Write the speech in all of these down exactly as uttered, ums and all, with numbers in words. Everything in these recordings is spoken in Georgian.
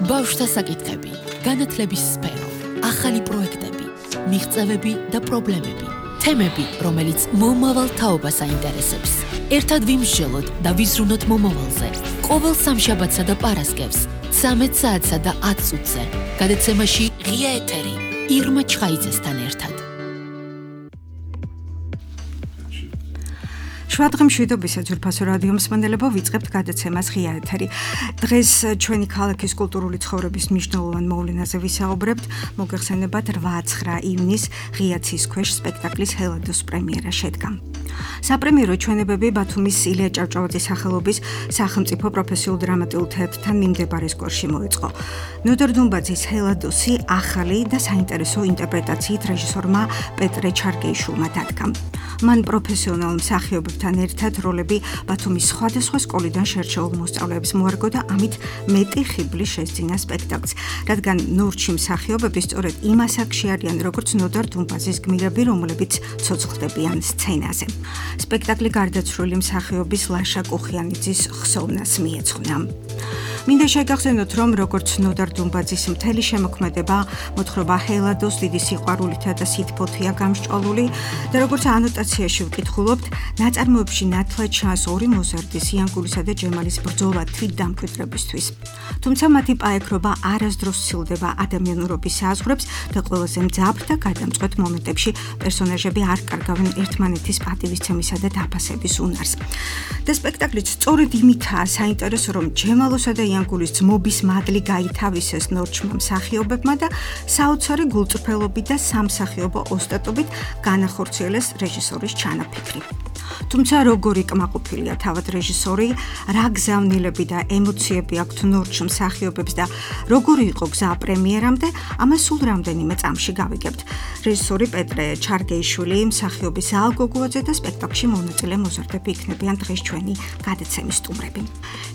ბავშვთა საკითხები, განათლების სფერო, ახალი პროექტები, მიღწევები და პრობლემები, თემები, რომელიც მომავალ თაობას აინტერესებს. ერთად ვიმსჯელოთ და ვიზრუნოთ მომავალზე. ყოველ სამშაბათსა და პარასკევს, ცამეტ საათსა და ათ წუთზე. გადაცემაში ღია ეთერი, ირმა ჩხაიძესთან ერთად. შვადღე მშვიდობისა ძვირფასო რადიო მსმენელებო, ვიწყებთ გადაცემას ღია ეთერი. დღეს ჩვენი ქალაქის კულტურული ცხოვრების მნიშვნელოვან მოვლენაზე ვისაუბრებთ. მოგეხსენებათ რვა ცხრა ივნის ღია ცის ქვეშ სპექტაკლის ჰელადოს პრემიერა შედგა. საპრემიერო ჩვენებები ბათუმის ილია ჭავჭავაძის სახელობის სახელმწიფო პროფესიულ დრამატულ თეატრთან მიმდებარე სკოლაში მოეწყო. ნოდარ დუმბაძის ჰელადოსი ახალი და საინტერესო ინტერპრეტაციით რეჟისორმა პეტრე ჩარგეიშვილმა დადგა. მან პროფესიონალ მსახიობებთან ერთად როლები ბათუმის სხვადასხვა სკოლიდან შერჩეულ მოსწავლეებს მოარგო და ამით მეტი ხიბლი შესძინა სპექტაკლს, რადგან ნორჩი მსახიობები სწორედ იმ ასაკში არიან, როგორც ნოდარ დუმბაძის გმირები, რომლებიც ცოცხლდებიან სცენაზე. სპექტაკლი გარდაცვლილი მსახიობის ლაშა კუხიანიძის ხსოვნას მიეძღვნა. მინდა შეგახსენოთ, რომ როგორც ნოდარ დუმბაძის მთელი შემოქმედება მოთხრობა ჰელადოს დიდი სიყვარულითა და სითბოთია გამსჭვალული და როგორც ანოტაციაში ვკითხულობთ, ნაწარმოებში ნათლად ჩანს ორი მოზარდის, იანკულისა და ჯემალის ბრძოლა თვით დამკვიდრებისთვის. თუმცა მათი პაექრობა არასდროს სცილდება ადამიანურობის საზღვრებს და ყველაზე მძაფრ და გადამწყვეტ მომენტებში პერსონაჟები არ კარგავენ ერთმანეთის პატივისცემისა და დაფასების უნარს. და სპექტაკლიც სწორედ იმითაა საინტერესო, რომ ჯემალოსა და იანკულის ძმობის მადლი გაითავისეს ნორჩმა მსახიობებმა და საოცარი გულწრფელობით და სამსახიობო ოსტატობით განახორციელეს რეჟისორის ჩანაფიქრი. თუმცა როგორი კმაყოფილია თავად რეჟისორი, რა გზავნილები და ემოციები აქვთ ნორჩ მსახიობებს და როგორი იყო გზა პრემიერამდე, ამას სულ რამდენიმე წამში გავიგებთ. რეჟისორი პეტრე ჩარგეიშვილი, მსახიობი ზაალ გოგუაძე და სპექტაკლში მონაწილე მოზარდები იქნებიან დღეს ჩვენი გადაცემის სტუმრები.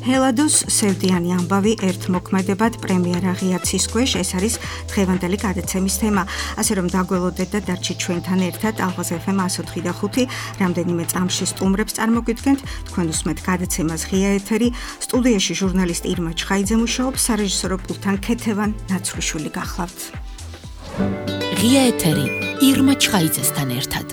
ჰელადოს სევდიანი ამბავი ერთ მოქმედებად პრემიერა ღია ცის ქვეშ, ეს არის დღევანდელი გადაცემის თემა. ასე რომ დაგველოდეთ და დარჩით ჩვენთან ერთად ალღაზ ეფ ემ εκατო ოთხი და ხუთი რამდენიმე წამში სტუმრებს წარმოგიდგენთ. თქვენ უსმენთ გადაცემას ღია ეთერი. სტუდიაში ჟურნალისტი ირმა ჩხაიძე მუშაობს, სარეჟისორო პულტთან ქეთევან ნაცვლიშვილი გახლავთ. ღია ეთერი, ირმა ჩხაიძესთან ერთად.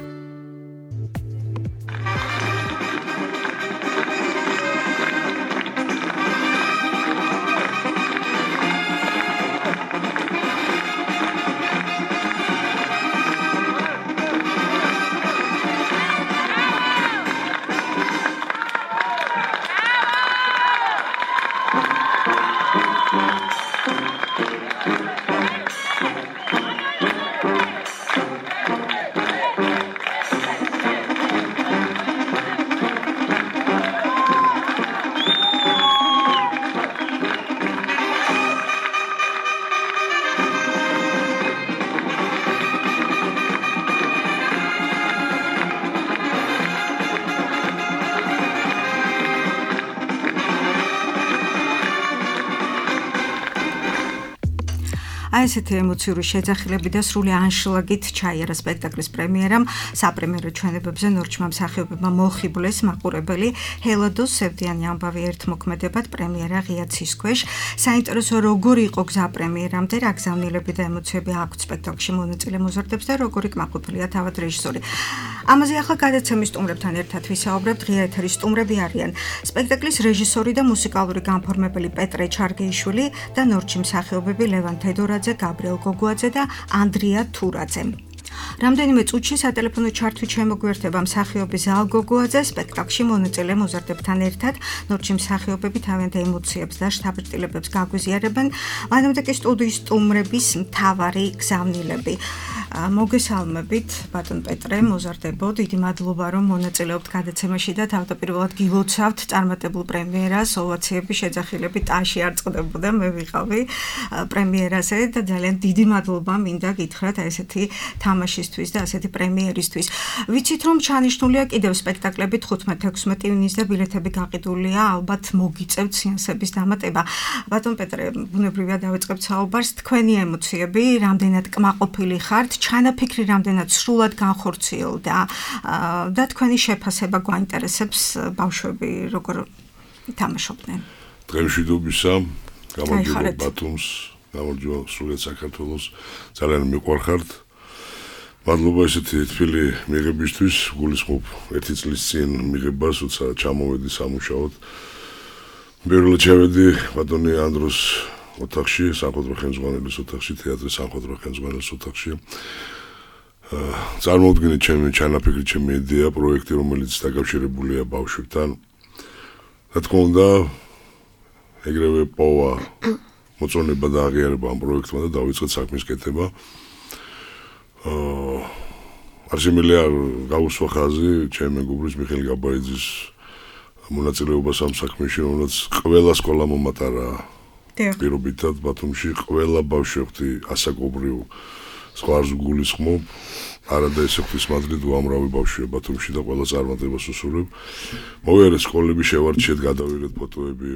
აი ესეთი ემოციური შეძახილები და სრული ანშლაგით ჩაიარა სპექტაკლის პრემიერამ. საპრემიერო ჩვენებებზე ნორჩმა მსახიობებმა მოხიბლეს მაყურებელი ჰელადოს სევდიანი ამბავი ერთ მოქმედებად პრემიერა ღია ცის ქვეშ. საინტერესო როგორი იყო გზა პრემიერამდე, რა გზავნილები და ემოციები აქვთ სპექტაკლში მონაწილე მოზარდებს და როგორი კმაყოფილია თავად რეჟისორი. ამაზე ახლა გადაცემის სტუმრებთან ერთად ვისაუბრებთ. ღია ეთერის სტუმრები არიან სპექტაკლის რეჟისორი და მუსიკალური განფორმებელი პეტრე ჩარგეიშვილი და ნორჩი მსახიობები ლევან თედორაძე, გაბრიელ გოგუაძე და ანდრია თურაძე. რამდენიმე წუთში სატელეფონო ჩართვით შემოგვიერთება მსახიობი ზაალ გოგუაძე სპექტაკლში მონაწილე მოზარდებთან ერთად. ნორჩი მსახიობები თავიანთ ემოციებს და შთაბეჭდილებებს გაგვიზიარებენ. მანამდე კი სტუდიის სტუმრების მთავარი გზავნილები. მოგესალმებით, ბატონ პეტრე, მოზარდებო, დიდი მადლობა, რომ მონაწილეობთ გადაცემაში და თავდაპირველად გილოცავთ წარმატებულ პრემიერას, ოვაციები, შეძახილები ტაში არ წყდებოდა, მე ვიყავი პრემიერაზე და ძალიან დიდი მადლობა მინდა გითხრათ ესეთი თამაშისთვის და ასეთი პრემიერისთვის. ვიცით, რომ ჩანიშნულია კიდევ სპექტაკლები თხუთმეტ ექვსმეტ ივნის და ბილეთები გაყიდულია, ალბათ მოგიწევთ სეანსების დამატება. ბატონ პეტრე, ბუნებრივია დავიწყებთ საუბარს, თქვენი ემოციები, რამდენად კმაყოფილი ხართ, ჩანაფიქრი რამდენად სრულად განხორციელდა და თქვენი შეფასება გვაინტერესებს, ბავშვები როგორ თამაშობდნენ. დღემშვიდობისა, გამარჯობა ბათუმს, გამარჯობა სრულად საქართველოს, ძალიან მიყვარხართ. მადლობა ესეთი თბილი მიღებისთვის, გულისხმობ ერთი წლის წინ მიღებას, როცა ჩამოვედი სამუშაოდ. პირველად შევედი ბატონი ანდროს ოთახში, სამხატვრო ხელმძღვანელის ოთახში, თეატრის სამხატვრო ხელმძღვანელის ოთახში. წარმოუდგინეთ ჩემი ჩანაფიქრი, ჩემი იდეა, პროექტი, რომელიც დაკავშირებულია ბავშვებთან. რა თქმა უნდა, ეგრევე პოვა მოწონება და აღიარება ამ პროექტმა და დავიწყეთ საქმის კეთება. აა არ შემიძლია გავუსვა ხაზი ჩემი მეგობრის მიხეილ გაბაიძის მონაწილეობას ამ საქმეში, რომელიც ყველა სკოლა მომატარა პირობითად ბათუმში, ყველა ბავშვი ასაკობრივ სხვას გულისხმობ, არადა ესე ღვთისმადლით უამრავი ბავშვია ბათუმში და ყველა წარმატებას უსურვებ. მოვიარეთ სკოლები, შევარჩიეთ, გადავიღეთ ფოტოები.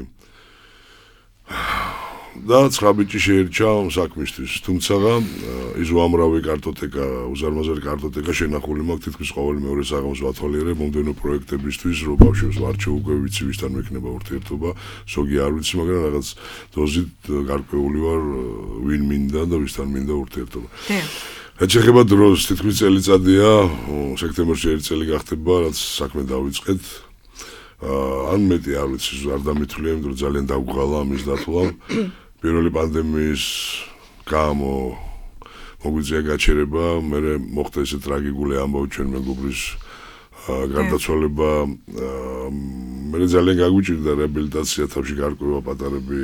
და ცხრა ბიჭი შეირჩა საქმისთვის, თუმცა ის უამრავი კარტოტეკა, უზარმაზარი კარტოტეკა შენახული მაქვს თითქმის ყოველ მეორე საღამოს ვათვალიერებ მომდევნო პროექტებისთვის, რომ ბავშვებს ვარჩევ, უკვე ვიცი ვისთან მექნება ურთიერთობა, ზოგი არ ვიცი, მაგრამ რაღაც დოზით გარკვეული ვარ, ვინ მინდა და ვისთან მინდა ურთიერთობა. რაც შეეხება დროს, თითქმის წელიწადია, სექტემბერში ერთი წელი გახდება, რაც საქმე დავიწყეთ. ან მეტი არ ვიცი, არ დამითვლია, იმიტომ რომ ძალიან დაგვღალა ამის დათვლა. პირველი პანდემიის გამო მოგვიწია გაჩერება, მე მოხდა ესე ტრაგიკული ამბავი ჩვენ მეგობრის გარდაცვალება. მე ძალიან გაგვიჭირდა რეაბილიტაცია, თავში გარკვევა პატარები,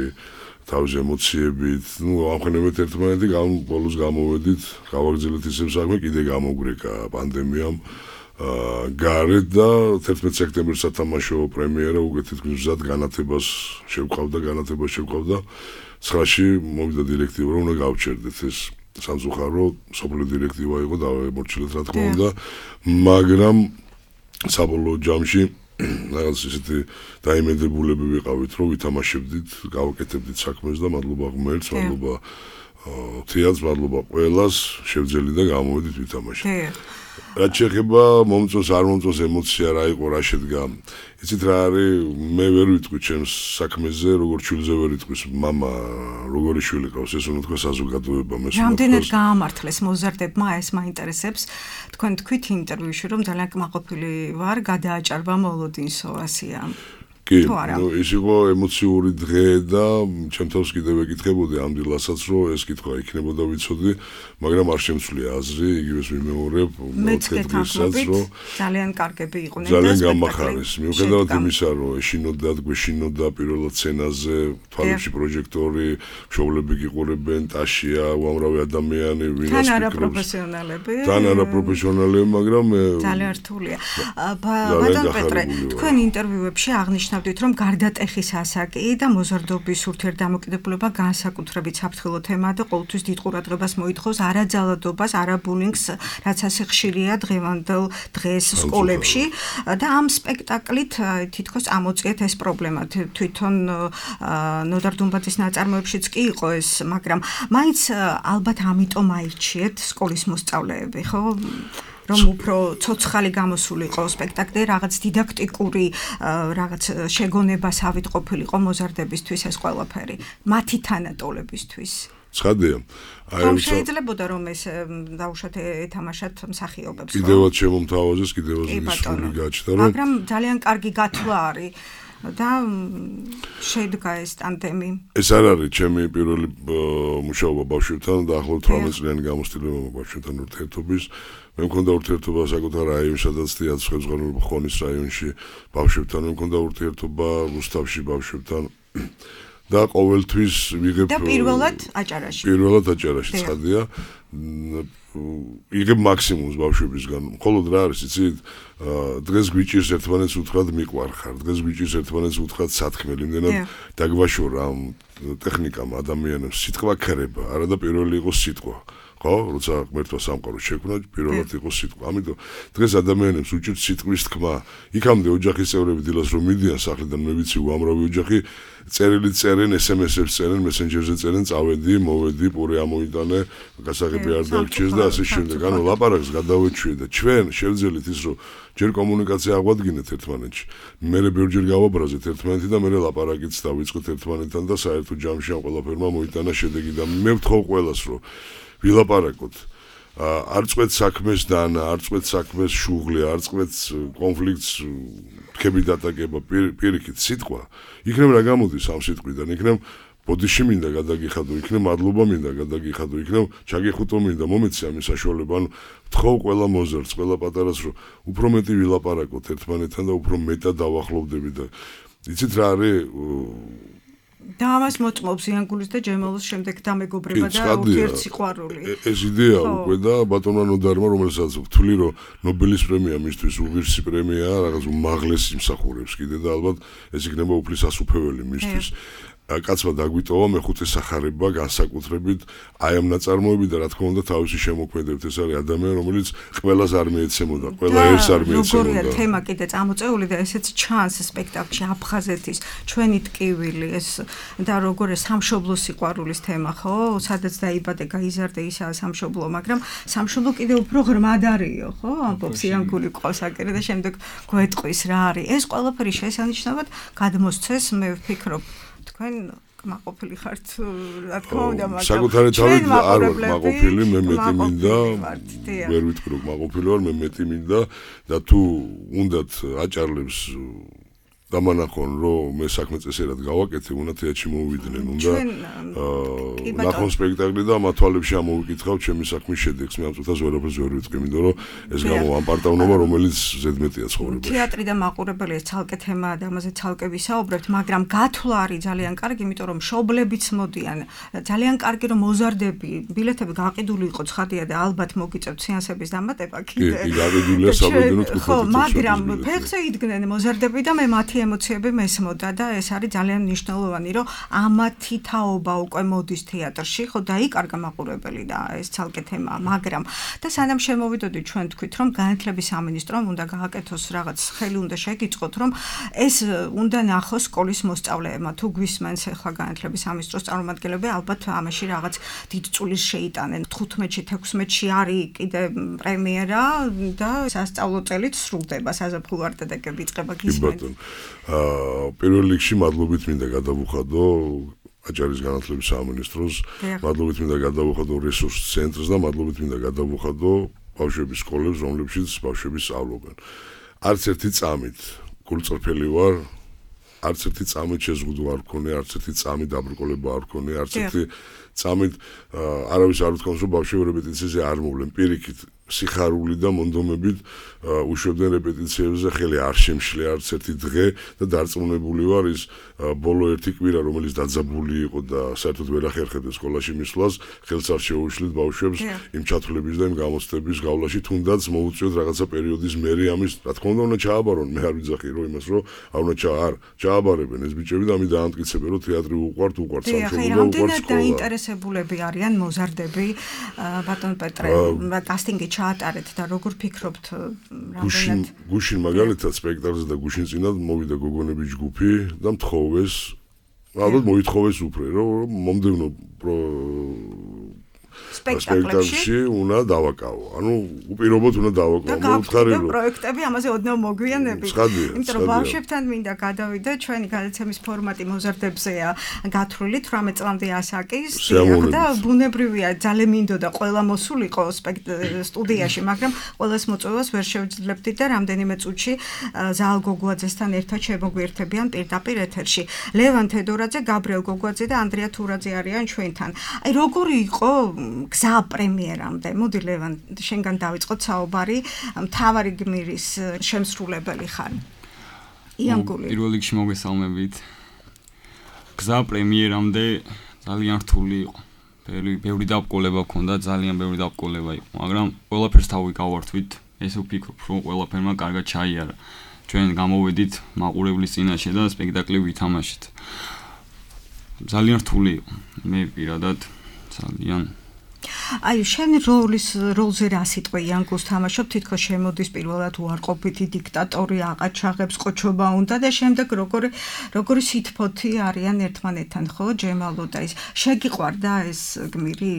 თავის ემოციებით. ნუ ამხნევეთ ერთმანეთი, ბოლოს გამოვედით, გავაგრძელეთ ისევ საქმე, კიდე გამოგვრეკა პანდემიამ. გარეთ და თერთმეტ სექტემბერს სათამაშო პრემიერა უკვე თითქმის მზად განათებას შევყავდა, განათებას შევყავდა. ცხრაში მოვიდა დირექტივა, რომ უნდა გავჩერდეთ ეს სამწუხარო სოფლიო დირექტივა იყო და მორჩილეთ რა თქმა უნდა, მაგრამ საბოლოო ჯამში რაღაც ისეთი დაიმედებულები ვიყავით, რომ ვითამაშებდით, გავაკეთებდით საქმეს და მადლობა ღმერთს, მადლობა თეატრს, მადლობა ყველას, შევძელი და გამოვედით ვითამაშეთ. რაც შეეხება მომწონს არ მომწონს ემოცია რა იყო, რა შედგა. იცით რა არის, მე ვერ ვიტყვი ჩემს საქმეზე, როგორ შვილზე ვერ იტყვის მამა, როგორი შვილი ყავს, ეს უნდა თქვა საზოგადოება, მე სულ რამდენად გაამართლეს მოზარდებმა, ეს მაინტერესებს. თქვენ თქვით ინტერვიუში, რომ ძალიან კმაყოფილი ვარ, გადააჭარბა მოლოდინსო, ასია. კი, ნუ ის იყო ემოციური დღე და ჩემ თავს კიდევ ეკითხებოდი ამ დილასაც, რომ ეს კითხვა იქნებოდა ვიცოდი, მაგრამ არ შემცვლია აზრი, იგივეს ვიმეორებ, მოცდესაც, რომ ძალიან კარგები იყვნენ და ძალიან გამახარეს. მიუხედავად იმისა, რომ ეშინოდა, გვეშინოდა პირველად სცენაზე, თვალებში პროჟექტორი, მშობლები გიყურებენ, ტაშია, უამრავი ადამიანი, ვინაც თან არა პროფესიონალები. თან არა პროფესიონალები, მაგრამ ძალიან რთულია. ბატონ პეტრე, თქვენ ინტერვიუებში აღნიშნავთ რომ გარდატეხის ასაკი და მოზარდობის ურთიერთდამოკიდებულება განსაკუთრებით საფრთხილო თემაა და ყოველთვის დიდ ყურადღებას მოითხოვს არაძალადობას, არაბულინგს, რაც ასე ხშირია დღევანდელ დღეს სკოლებში და ამ სპექტაკლით თითქოს ამოწიეთ ეს პრობლემა. თვითონ ნოდარ დუმბაძის ნაწარმოებშიც კი იყო ეს, მაგრამ მაინც ალბათ ამიტომ აირჩიეთ სკოლის მოსწავლეები, ხო? რომ უფრო ცოცხალი გამოსულიყო სპექტაკლი, რაღაც დიდაქტიკური რაღაც შეგონებასავით ყოფილიყო მოზარდებისთვის ეს ყველაფერი, მათი თანატოლებისთვის. ცხადია. რომ შეიძლებოდა რომ ეს დაუშვათ ეთამაშათ მსახიობებს. კიდევაც შემომთავაზეს, კიდევაც ისული გაჩნდა, რომ მაგრამ ძალიან კარგი გათვლა არის. და შედგა ეს ტანდემი. ეს არ არის ჩემი პირველი მუშაობა ბავშვებთან და ახლობით თვრამეტ წლიანი გამოცდილება ბავშვებთან ურთიერთობის. მე მქონდა ურთიერთობა საკუთარ რაიონში, სადაც თეატრის ხელმძღვანელობა ხონის რაიონში ბავშვებთან, მე მქონდა ურთიერთობა რუსთავში ბავშვებთან და ყოველთვის ვიღებ და პირველად აჭარაში. პირველად აჭარაში ცხადია. იღებ მაქსიმუმს ბავშვებისგან. მხოლოდ რა არის, იცით, დღეს გვიჭირს ერთმანეთს უთხრათ მიყვარხარ, დღეს გვიჭირს ერთმანეთს უთხრათ სათქმელი, იმდენად დაგვაშორა ამ ტექნიკამ ადამიანებს სიტყვა ქრება, არა და პირველი იყო სიტყვა. ხო, როცა ღმერთმა სამყაროს შექმნა, პირველად იყო სიტყვა. ამიტომ დღეს ადამიანებს უჭირთ სიტყვის თქმა. იქამდე ოჯახის წევრები დილას რომ მიდიან სახლიდან, მე ვიცი უამრავი ოჯახი წერილი წერენ, ესემესებს წერენ, მესენჯერზე წერენ, წავედი, მოვედი, პური ამოიტანე, გასაღები არ დაგვჭირს და ასე შემდეგ. ანუ ლაპარაკს გადავეჩვიე და ჩვენ შევძელით ის, რომ ჯერ კომუნიკაცია აღვადგინეთ ერთმანეთში. მერე ბევრჯერ გავაბრაზეთ ერთმანეთი და მერე ლაპარაკიც დავიწყეთ ერთმანეთთან და საერთო ჯამში ამ ყველაფერმა მოიტანა შედეგი და მე ვთხოვ ყველას რომ ვილაპარაკოთ. არ წვეთ საქმეს დანა, არ წვეთ საქმეს შუღლი, არ წვეთ კონფლიქტს თქვები დატაკება პირიქით სიტყვა. იქნებ რა გამოდის ამ სიტყვიდან, იქნებ ბოდიში მინდა გადაგიხადო, იქნებ მადლობა მინდა გადაგიხადო, იქნებ ჩაგიხუტო მინდა, მომეცი ამის საშუალება, ანუ ვთხოვ ყველა მოზარდს, ყველა პატარას, რომ უფრო მეტი ვილაპარაკოთ ერთმანეთთან და უფრო მეტად დავახლოვდებით და იცით რა არის და ამას მოწმობს იანგულის და ჯემალოს შემდეგ დამეგობრება და ურთიერთსიყვარული. ეს იდეა უკვე და ბატონმა ნოდარმა, რომელსაც ვთვლი, რომ ნობელის პრემია მისთვის უღირსი პრემიაა, რაღაც უმაღლესი იმსახურებს კიდე და ალბათ ეს იქნება უფლის ასუფეველი მისთვის. კაცმა დაგვიტოვა მეხუთე სახარება განსაკუთრებით აი ამ ნაწარმოები და რა თქმა უნდა თავისი შემოქმედებით ეს არის ადამიანი რომელიც ყველას არ მიეცემოდა ყველა ერთს არ მიეცემოდა როგორია თემა კიდე წამოწეული და ესეც ჩანს სპექტაკლში აფხაზეთის ჩვენი ტკივილი ეს და როგორია სამშობლო სიყვარულის თემა ხო სადაც დაიბადე გაიზარდე ისაა სამშობლო მაგრამ სამშობლო კიდე უფრო ღრმად არისო ხო ამბობს იანგული ყოსაკერი და შემდეგ გვეტყვის რა არის ეს ყველაფერი შესანიშნავად გადმოსცეს მე ვფიქრობ თქვენ კმაყოფილი ხართ რა თქმა უნდა მაგრამ საკუთარი თავით არ ვარ კმაყოფილი მე მეტი მინდა ვერ ვიტყვი რომ კმაყოფილი ვარ მე მეტი მინდა და თუ უნდათ აჭარლებს დამანახონ რომ მე საქმე წესერად გავაკეთე უნდა თეატრში მოვიდნენ უნდა ნახონ სპექტაკლი და მათ თვალებში ამოვიკითხავ ჩემი საქმის შედეგს მე ამ წუთას ვერაფერს ვერ ვიტყვი მინდა რომ ეს გამოვამპარტავნობა რომელიც ზედმეტია ცხოვრებაში თეატრი და მაყურებელი ეს ცალკე თემაა და ამაზე ცალკე ვისაუბრებთ მაგრამ გათვლა არის ძალიან კარგი იმიტომ რომ მშობლებიც მოდიან ძალიან კარგი რომ მოზარდები ბილეთები გაყიდული იყო ცხადია და ალბათ მოგიწევთ სეანსების დამატება კიდე კი გაყიდულია საბედნო თქო ხო მაგრამ ფეხზე იდგნენ მოზარდები და მე მათი ემოციები მესმოდა და ეს არის ძალიან მნიშვნელოვანი რომ ამათი თაობა უკვე მოდის თეატრში ხო დაიკარგა მაყურებელი და ეს ცალკე თემაა მაგრამ და სანამ შემოვიდოდი ჩვენ თქვით რომ განათლების სამინისტრომ უნდა გააკეთოს რაღაც ხელი უნდა შეგიწყოთ რომ ეს უნდა ნახოს სკოლის მოსწავლეებმა თუ გვისმენს ახლა განათლების სამინისტროს წარმომადგენლები ალბათ ამაში რაღაც დიდ წulis შეიტანენ თხუთმეტში თექვსმეტში არის კიდე პრემიერა და სასწავლო წელიც სრულდება საზაფხულო არტადაკები იწყება გისმენთ აა პირველ რიგში მადლობით მინდა გადავუხადო აჭარის განათლების სამინისტროს, მადლობით მინდა გადავუხადო რესურს ცენტრს და მადლობით მინდა გადავუხადო ბავშვების სკოლებს, რომლებშიც ბავშვები სწავლობენ. არც ერთი წამით გულწრფელი ვარ, არც ერთი წამით შეზღუდვა არ მქონია, არც ერთი წამით დაბრკოლება არ მქონია, არც ერთი წამით არავის არ უთქვამს რომ ბავშვები რეპეტიციაზე არ მოვლენ, პირიქით სიხარული და მონდომებით უშვებდნენ რეპეტიციებზე ხელი არ შემშლე არც ერთი დღე და დარწმუნებული ვარ ის ბოლო ერთი კვირა რომელიც დაძაბული იყო და საერთოდ ვერ ახერხებდა სკოლაში მისვლას ხელს არ შეუშლით ბავშვებს იმ ჩათვლების და იმ გამოცდების გავლაში თუნდაც მოუწიოთ რაღაცა პერიოდის მერე ამის რა თქმა უნდა უნდა ჩააბარონ მე არ ვიძახი რომ იმას რომ არ უნდა ჩაარ ჩააბარებენ ეს ბიჭები და ამი დაამტკიცებენ რომ თეატრი უყვართ უყვართ სამშობლო და უყვართ სკოლა დაინტერესებულები არიან მოზარდები ბატონ პეტრე კასტინგი ჩაატარეთ და როგორ ფიქრობთ გუშინ გუშინ მაგალითად სპექტაკლზე და გუშინ წინათ მოვიდა გოგონების ჯგუფი და მთხოვეს ალბათ მოითხოვეს უფრო რომ მომდევნო სპექტაკლში უნდა დავაკავო. ანუ უპირობოდ უნდა დავაკავო. მოუთხარი რომ პროექტები ამაზე ოდნავ მოგვიანებით. იმიტომ რომ ბავშვებთან მინდა გადავიდე ჩვენი გადაცემის ფორმატი მოზარდებზეა გათვლილი თვრამეტ წლამდე ასაკის და ბუნებრივია ძალიან მინდოდა ყველა მოსულიყო სტუდიაში, მაგრამ ყველას მოწვევას ვერ შევძლებდი და რამდენიმე წუთში ზაალ გოგუაძესთან ერთად შემოგვიერთებიან პირდაპირ ეთერში. ლევან თედორაძე, გაბრიელ გოგუაძე და ანდრია თურაძე არიან ჩვენთან. აი როგორი იყო გზა პრემიერამდე. მოდი ლევან, შენგან დავიწყოთ საუბარი. მთავარი გმირის შემსრულებელი ხარ. იანგული. პირველ რიგში მოგესალმებით. გზა პრემიერამდე ძალიან რთული იყო. ბევრი დაბრკოლება ჰქონდა, ძალიან ბევრი დაბრკოლება იყო, მაგრამ ყველაფერს თავი გავართვით. ესე ვფიქრობ, რომ ყველაფერმა კარგად ჩაიარა. ჩვენ გამოვედით მაყურებლის წინაშე და სპექტაკლი ვითამაშეთ. ძალიან რთული იყო. მე პირადად ძალიან აი შენ როლის როლზე რა სიტყვა იანგულს თამაშობ თითქოს შემოდის პირველად უარყოფითი დიქტატორი აყაჩაღებს ყოჩობა უნდა და შემდეგ როგორი როგორი სითფოთი არიან ერთმანეთთან ხო ჯემალო და ის შეგიყვარდა ეს გმირი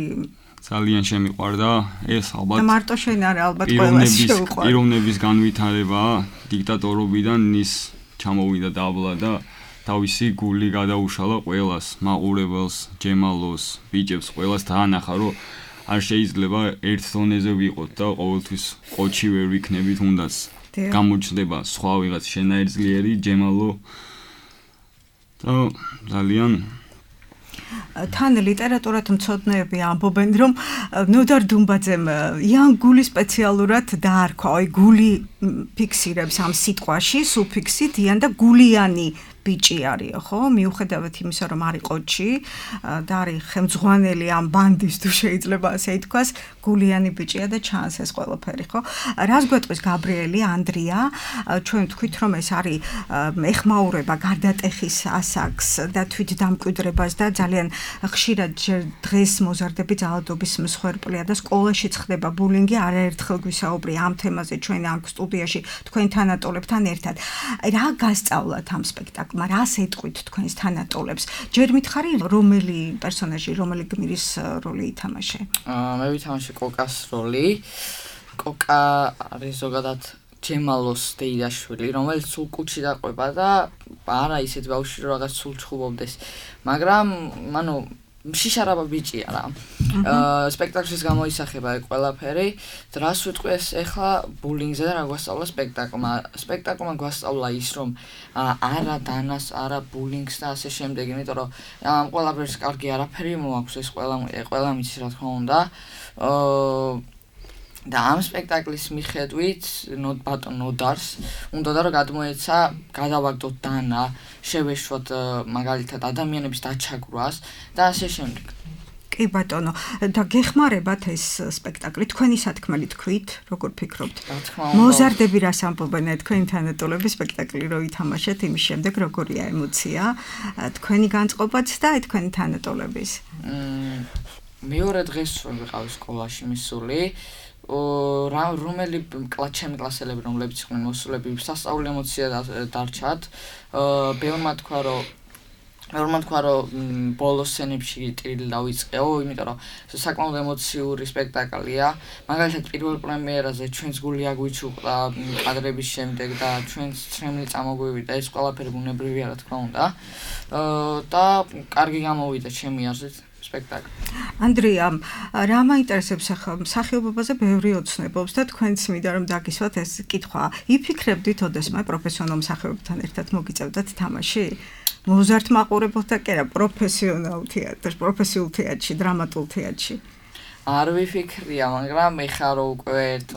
ძალიან შემიყვარდა ეს ალბათ და მარტო შენ არა ალბათ ყველას შეუყვარდა პიროვნების განვითარება დიქტატორობიდან ის ჩამოვიდა დაბლა და თავისი გული გადაუშალა ყველას მაყურებელს ჯემალოს ბიჭებს ყველას დაანახა რომ არ შეიძლება ერთ დონეზე ვიყოთ და ყოველთვის ყოჩი ვერ ვიქნებით უნდაც გამოჩნდება სხვა ვიღაც შენაერ ძლიერი ჯემალო და ძალიან თან ლიტერატურათ მცოდნეები ამბობენ რომ ნოდარ დუმბაძემ იან გული სპეციალურად დაარქვა აი გული ფიქსირებს ამ სიტყვაში სუფიქსით იან და გულიანი ბიჭი არისო ხო მიუხედავად იმისა რომ არის ყოჩი და არის ხელმძღვანელი ამ ბანდის თუ შეიძლება ასე ითქვას გულიანი ბიჭია და ჩანს ეს ყველაფერი ხო რას გვეტყვის გაბრიელი ანდრია ჩვენ თქვით რომ ეს არის ეხმაურება გარდატეხის ასაკს და თვით დამკვიდრებას და ძალიან ხშირად დღეს მოზარდები ძალადობის მსხვერპლია და სკოლაშიც ხდება ბულინგი არაერთხელ გვისაუბრე ამ თემაზე ჩვენ ამ სტუდიაში თქვენ თანატოლებთან ერთად რა გასწავლათ ამ სპექტაკლში რას ეტყვით თქვენს თანატოლებს ჯერ მითხარი რომელი პერსონაჟი რომელი გმირის როლი ითამაშე მე ვითამაშე კოკას როლი კოკა არის ზოგადად ჯემალოს დეიდაშვილი რომელიც სულ კუჩი დაყვება და არა ისეთ ბავშვი რომ რაღაც სულ ჩხუბობდეს მაგრამ ანუ შიშარაბა ბიჭია რა. სპექტაკლში გამოისახება ყველაფერი. რას ვიტყვი ეს ახლა ბულინგზე და რა გვასწავლა სპექტაკლმა. სპექტაკლმა გვასწავლა ის რომ არა დანას, არა ბულინგს და ასე შემდეგ, იმიტომ რომ ამ ყველაფერს კარგი არაფერი მოაქვს ეს ყველა ყველა მიცის რა თქმა უნდა. და ამ სპექტაკლის მიხედვით ბატონ ნოდარს უნდა რომ გადმოეცა გადავაგდოთ დანა, შევეშვოთ მაგალითად ადამიანების დაჩაგვრას და ასე შემდეგ. კი ბატონო, და გეხმარებათ ეს სპექტაკლი თქვენი სათქმელი თქვით, როგორ ფიქრობთ? მოზარდები რას ამბობენ თქვენი თანატოლები სპექტაკლი რო ითამაშეთ, იმის შემდეგ როგორია ემოცია, თქვენი განწყობაც და თქვენი თანატოლების? მეორე დღეს ვიყავ სკოლაში მისული. რა რომელი კლასჩემი კლასელები რომლებიც იყვნენ მოსულები სასწაული ემოცია დარჩათ ბევრმა თქვა რომ ბევრმა თქვა რომ ბოლოს სცენებში ტირილი დავიწყეო იმიტომ რომ საკმაოდ ემოციური სპექტაკლია მაგალითად პირველ პრემიერაზე ჩვენს გული აგვიჩუყდა კადრების შემდეგ და ჩვენს ცრემლი წამოგვივიდა ეს ყველაფერი ბუნებრივია რა თქმა უნდა და კარგი გამოვიდა ჩემი აზრით სპექტაკლი. ანდრია, რა მაინტერესებს ახლა მსახიობობაზე ბევრი ოცნებობს და თქვენც მინდა რომ დაგისვათ ეს კითხვა. იფიქრებდით ოდესმე პროფესიონალ მსახიობებთან ერთად მოგიწევდათ თამაში? მოზარდ მაყურებელთა კი არა, პროფესიონალ თეატრში, პროფესიულ თეატრში, დრამატულ თეატრში. არ ვიფიქრია, მაგრამ ეხლა რო უკვე ერთ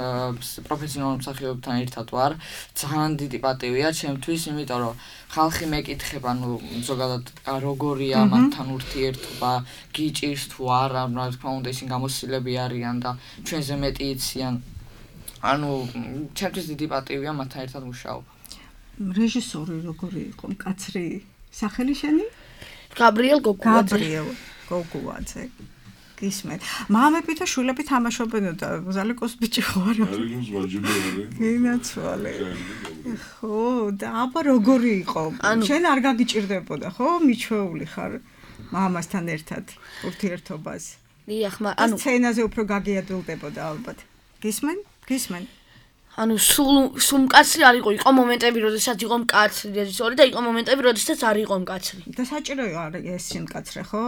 პროფესიონალ მსახიობთან ერთად ვარ, ძალიან დიდი პატივია ჩემთვის, იმიტომ რომ ხალხი მეკითხება, ნუ ზოგადად როგორია მათთან ურთიერთობა, გიჭირს თუ არა, რა თქმა უნდა ისინი გამოსილები არიან და ჩვენზე მეტი იციან. ანუ ჩემთვის დიდი პატივია მათთან ერთად მუშაობა. რეჟისორი როგორი იყო? მკაცრი სახელი შენი? გაბრიელ გოგუაძე. გაბრიელ გოგუაძე. გისმენთ. მამები და შვილები თამაშობენ და ზალიკოს ბიჭი ხარ. ზალიკოს ვაჯიბია. გინაცვალე. ხო, და აბა როგორი იყო? შენ არ გაგიჭირდებოდა, ხო? მიჩვეული ხარ მამასთან ერთად ურთიერთობას. დიახ, ანუ სცენაზე უფრო გაგიადვილდებოდა ალბათ. გისმენ? გისმენ? ანუ სულ სულ მკაცრი არ იყო, იყო მომენტები, როდესაც იყო მკაცრი რეჟისორი და იყო მომენტები, როდესაც არ იყო მკაცრი. და საჭიროა ეს სიმკაცრე, ხო?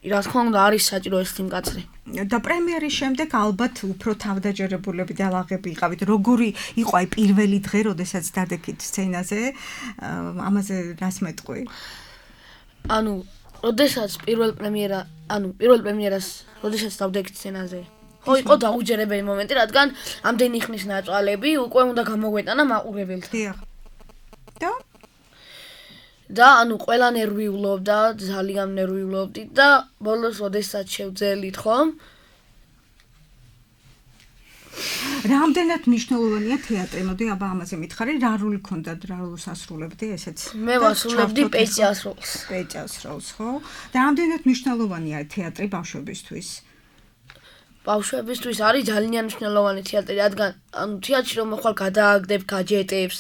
რა თქმა უნდა არის საჭირო ეს სიმკაცრე. და პრემიერის შემდეგ ალბათ უფრო თავდაჯერებულები და ლაღები იყავით. როგორი იყო აი პირველი დღე, როდესაც დადექით სცენაზე? ამაზე რას მეტყვი? ანუ, როდესაც პირველ პრემიერა, ანუ პირველ პრემიერას, როდესაც დავდექით სცენაზე. ხო, იყო დაუჯერებელი მომენტი, რადგან ამდენი ხნის ნაწვალები უკვე უნდა გამოგვეტანა მაყურებელთ. დიახ. და და ანუ ყველა ნერვიულობდა, ძალიან ნერვიულობდი და ბოლოს როდესაც შევძელით ხომ? რამდენად მნიშვნელოვანია თეატრი? მოდი აბა ამაზე მითხარი, რა როლი ქონდათ, რა როლს ასრულებდი, ესეც? მე ვასრულებდი პეჭას როლს. პეჭას როლს, ხო? და რამდენად მნიშვნელოვანია თეატრი ბავშვებისთვის? ბავშვებისთვის არის ძალიან მნიშვნელოვანი თეატრი, რადგან ანუ თეატრში რომ ხვალ გადააგდებ გაჯეტებს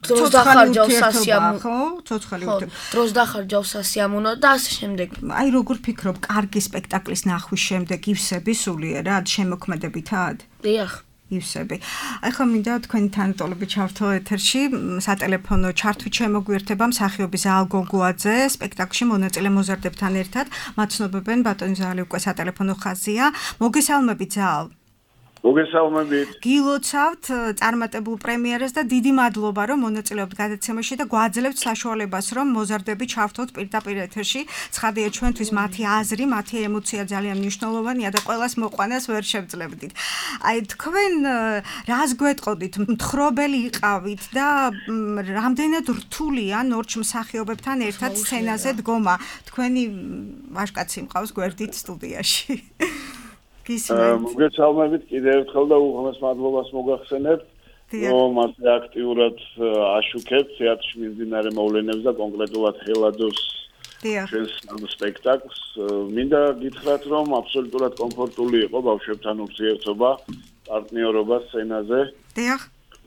დროს დახარჯავს სასიამოვნო, ხო? ცოცხალი ხო, დროს დახარჯავს სასიამოვნო და ასე შემდეგ. აი როგორ ფიქრობ, კარგი სპექტაკლის ნახვის შემდეგ ივსები სულიერად შემოქმედებითად? დიახ. ივსები. აი ხომ მინდა თქვენი თანატოლები ჩავთო ეთერში, სატელეფონო ჩართვით შემოგვიერთება მსახიობი ზაალ გოგუაძე სპექტაკლში მონაწილე მოზარდებთან ერთად. მათ ცნობებენ ბატონი ზაალი უკვე სატელეფონო ხაზია. მოგესალმებით ზაალ. მოგესალმებით. გილოცავთ წარმატებულ პრემიერას და დიდი მადლობა რომ მონაწილეობთ გადაცემაში და გვაძლევთ საშუალებას რომ მოზარდები ჩავთოთ პირდაპირ ეთერში. ცხადია ჩვენთვის მათი აზრი, მათი ემოცია ძალიან მნიშვნელოვანია და ყველას მოყვანას ვერ შევძლებდით. აი თქვენ რას გვეტყოდით? მთხრობელი იყავით და რამდენად რთულია ნორჩ მსახიობებთან ერთად სცენაზე დგომა? თქვენი ვაჟკაცი მყავს გვერდით სტუდიაში. მოგესალმებით კიდევ ერთხელ და უღრმეს მადლობას მოგახსენებთ, რომ ასე აქტიურად აშუქებთ თეატრში მიმდინარე მოვლენებს და კონკრეტულად ხელადოს ჩვენს სპექტაკლს. მინდა გითხრათ, რომ აბსოლუტურად კომფორტული იყო ბავშვებთან ურთიერთობა, პარტნიორობა სცენაზე. დიახ.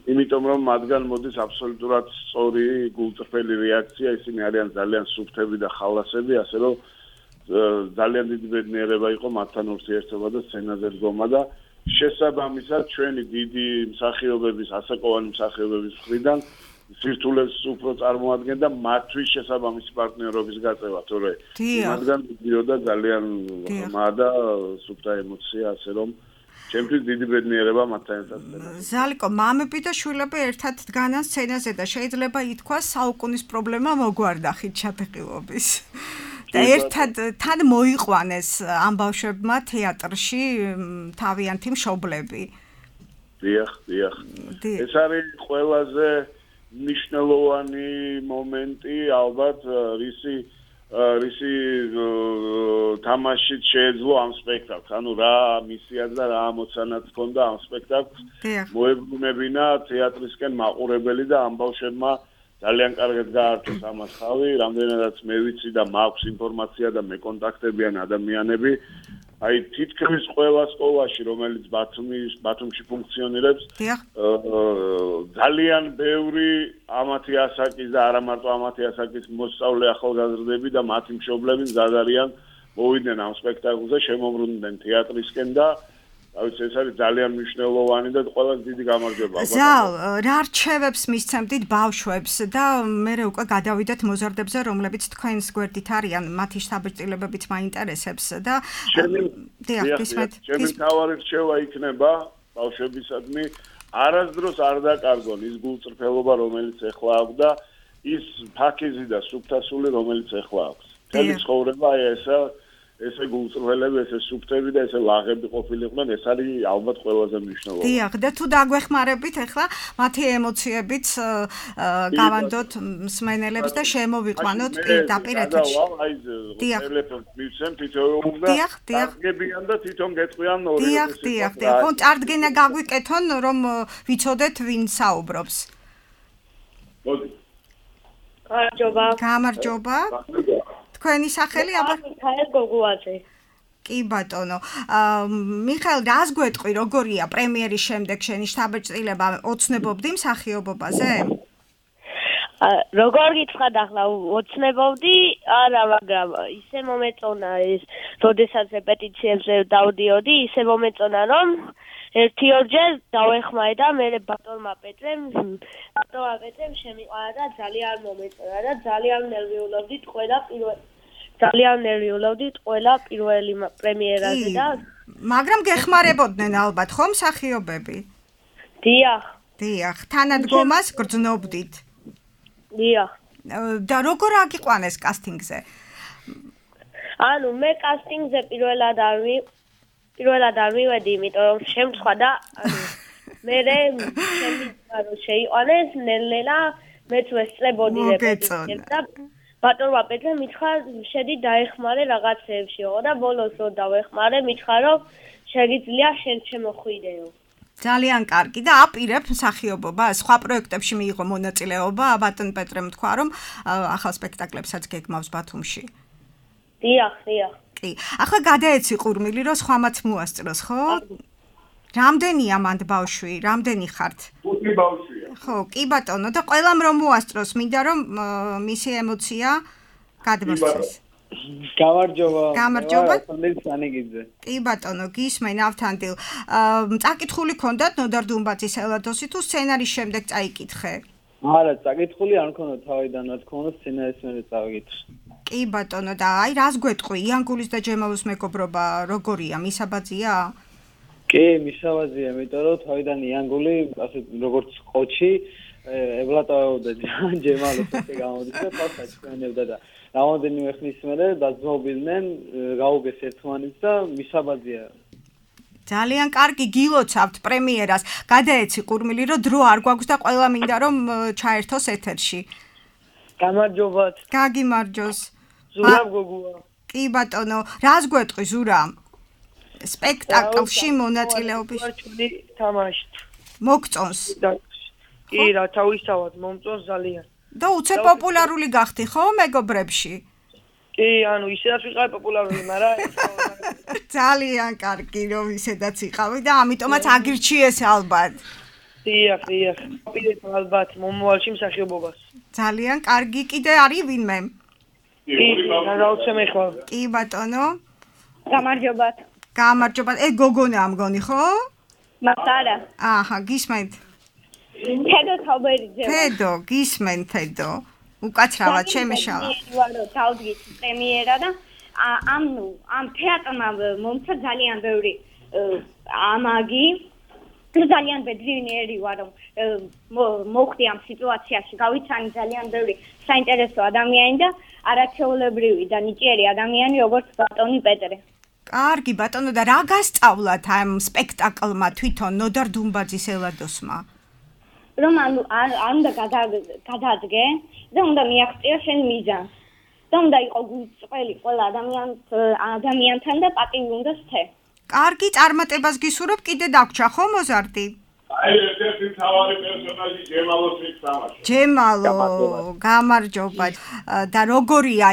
იმიტომ რომ მათგან მოდის აბსოლუტურად სწორი გულწრფელი რეაქცია, ისინი არიან ძალიან სუფთები და ხალასები, ასე რომ ძალიან დიდი ბედნიერება იყო მათთან ურთიერთობა და სცენაზე დგომა და შესაბამისად ჩვენი დიდი მსახიობების, ასაკოვანი მსახიობების მხრიდან სირთულეს უფრო წარმოადგენდა მათთვის შესაბამისი პარტნიორობის გაწევა, თორე მათგან მიდიოდა ძალიან ღრმა და სუფთა ემოცია, ასე რომ ჩემთვის დიდი ბედნიერება მათთან ერთად. ზალიკო, მამები და შვილები ერთად დგანან სცენაზე და შეიძლება ითქვას საუკუნის პრობლემა მოგვარდახით ჩატყილობის. და ერთად თან მოიყვანეს ამ ბავშვებმა თეატრში თავიანთი მშობლები. დიახ, დიახ. ეს არის ყველაზე მნიშვნელოვანი მომენტი, ალბათ, რისი რისი თამაშით შეეძლო ამ სპექტაკლს. ანუ რა მისიაც და რა ამოცანაც ჰქონდა ამ სპექტაკლს. მოებრუნებინა თეატრისკენ მაყურებელი და ამ ბავშვებმა ძალიან კარგად გაართეს ამას ხავი, რამდენადაც მე ვიცი და მაქვს ინფორმაცია და მე კონტაქტებიან ადამიანები. აი თითქმის ყველა სკოლაში, რომელიც ბათუმის ბათუმში ფუნქციონირებს, ძალიან ბევრი ამათი ასაკის და არა მარტო ამათი ასაკის მოსწავლე ახალგაზრდები და მათი მშობლები მზად არიან მოვიდნენ ამ სპექტაკლზე, შემოbrunდნენ თეატრისკენ და აი ეს არის ძალიან მნიშვნელოვანი და ყველას დიდი გამარჯვება. ზალ, რა რჩევებს მისცემდით ბავშვებს და მე უკვე გადავიდეთ მოზარდებზე, რომლებიც თქვენს გვერდით არიან, მათი შთაბეჭდილებებით მაინტერესებს და დიახ, გისმენთ. ჩემი თავარი რჩევა იქნება ბავშვებისადმი, არასდროს არ დაკარგონ ის გულწრფელობა, რომელიც ეხლა აქვს და ის ფაქიზი და სუფთასული, რომელიც ეხლა აქვს. მთელი ცხოვრება აი ესა ესე გულწრფელები, ესე სუფთები და ესე ლაღები ყოფილიყვნენ, ეს არის ალბათ ყველაზე მნიშვნელოვანი. დიახ, და თუ დაგვეხმარებით ახლა მათი ემოციებიც გავანდოთ მსმენელებს და შემოვიყვანოთ პირდაპირ ეთერში. აი ტელეფონს მივცემ თითოეულ და აღგებიან და თვითონ გეტყვიან ორი. დიახ, დიახ, დიახ. ხო, წარდგენა გაგვიკეთონ, რომ ვიცოდეთ ვინ საუბრობს. მოდი. გამარჯობა. გამარჯობა. თქვენი სახელი აბა მიხაელ გოგუაძე. კი ბატონო. მიხაელ, რას გვეტყვი, როგორია პრემიერის შემდეგ შენი შთაბეჭდილება? ოცნებობდი მსახიობობაზე? როგორ გითხრათ ახლა ოცნებობდი? არა, მაგრამ ისე მომეწონა ეს, როდესაც რეპეტიციებზე დავდიოდი, ისე მომეწონა, რომ ერთი ორჯერ დავეხმარე და მე ბატონმა პეტრემ, ბატონმა პეტრემ შემიყვანა და ძალიან მომეწონა და ძალიან ნერვიულობდით ყველა პირველ ძალიან ნერვიულობდით ყველა პირველი პრემიერაზე და მაგრამ გეხმარებოდნენ ალბათ ხო მსახიობები? დიახ. დიახ, თანადგომას გრძნობდით. დიახ. და როგორ აგიყვანეს კასტინგზე? ანუ მე კასტინგზე პირველად არ ვი პირველად არ მივედი, იმიტომ რომ შემცხვა და ანუ მე შემიძლია რომ შეიყვანეს ნელ-ნელა მეც ვესწრებოდი რეპეტიციებს და ბატონმა პეტრე მითხრა შედი დაეხმარე რაღაცეებშიო და ბოლოს რო დავეხმარე მითხრა რომ შეგიძლია შენ შემოხვიდეო. ძალიან კარგი და აპირებ მსახიობობა, სხვა პროექტებში მიიღო მონაწილეობა, ბატონ პეტრემ თქვა რომ ახალ სპექტაკლებსაც გეგმავს ბათუმში. დიახ, დიახ. კი. ახლა გადაეცი ყურმილი, რომ სხვამაც მოასწროს, ხო? რამდენია მანდ ბავშვი? რამდენი ხართ? ხუთი ბავშვია. ხო, კი ბატონო და ყველამ რომ მოასწროს, მინდა რომ მისი ემოცია გადმოსცეს. გამარჯობა. გამარჯობა. სანიგიძე. კი ბატონო, გისმენ ავთანდილ. წაკითხული ქონდათ ნოდარ დუმბაძის ელადოსი თუ სცენარის შემდეგ წაიკითხე? არა, წაკითხული არ მქონდა თავიდან, რა თქმა უნდა, სცენარის მერე წავიკითხე. კი ბატონო, და აი რას გვეტყვი, იანგულის და ჯემალოს მეგობრობა როგორია, მისაბაძია? კი, მისაბაძია, იმიტომ რომ თავიდან იანგული, ასე როგორც ყოჩი, ევლატავდა ჯემალოს ესე გამოდის და თავს აჩვენებდა და რამოდენიმე ხნის მერე დაძმობილდნენ, გაუგეს ერთმანეთს და მისაბაძია. ძალიან კარგი გილოცავთ პრემიერას. გადაეცი ყურმილი, რომ დრო არ გვაქვს და ყველა მინდა რომ ჩაერთოს ეთერში. გამარჯობათ. გაგიმარჯოს. ზურა გოგოა. კი ბატონო, რას გვეტყვი ზურა? სპექტაკლში მონაწილეობის თამაშით. მოგწონს. კი, რა თავისთავად მომწონს ძალიან. და უცე პოპულარული გახდი ხო მეგობრებში? კი, ანუ ისედაც ვიყავი პოპულარული, მაგრამ ძალიან კარგი რომ ისედაც იყავი და ამიტომაც აგირჩიეს ალბათ. დიახ, დიახ. პირით ალბათ მომავალში მსახიობობას. ძალიან კარგი, კიდე არის ვინმე? კი, გადავცემ ახლა. კი ბატონო. გამარჯობათ. გამარჯობათ. ე გოგონა ამგონი ხო? მახარა. აჰა, გისმენთ. თედო თავბერიძე. თედო, გისმენ თედო. უკაცრავად შემეშალა. ვარო თავდგით პრემიერა და ამ ნუ ამ თეატრმა მომცა ძალიან ბევრი ამაგი ძალიან ბედნიერი ვარ რომ მოხდი ამ სიტუაციაში გავიცანი ძალიან ბევრი საინტერესო ადამიანი და არაჩვეულებრივი და ნიჭიერი ადამიანი როგორც ბატონი პეტრე. კარგი ბატონო და რა გასწავლათ ამ სპექტაკლმა თვითონ ნოდარ დუმბაძის ელადოსმა? რომ ანუ არ უნდა გადაადგე და უნდა მიაღწია შენ მიზანს. და უნდა იყო გულწრფელი ყველა ადამიანს ადამიანთან და პატივი უნდა სცე. კარგი წარმატებას გისურვებ, კიდე დაგვრჩა ხო მოზარდი? აი ერთ-ერთი მთავარი პერსონაჟი ჯემალოს მიცამაშა. ჯემალო, გამარჯობა. და როგორია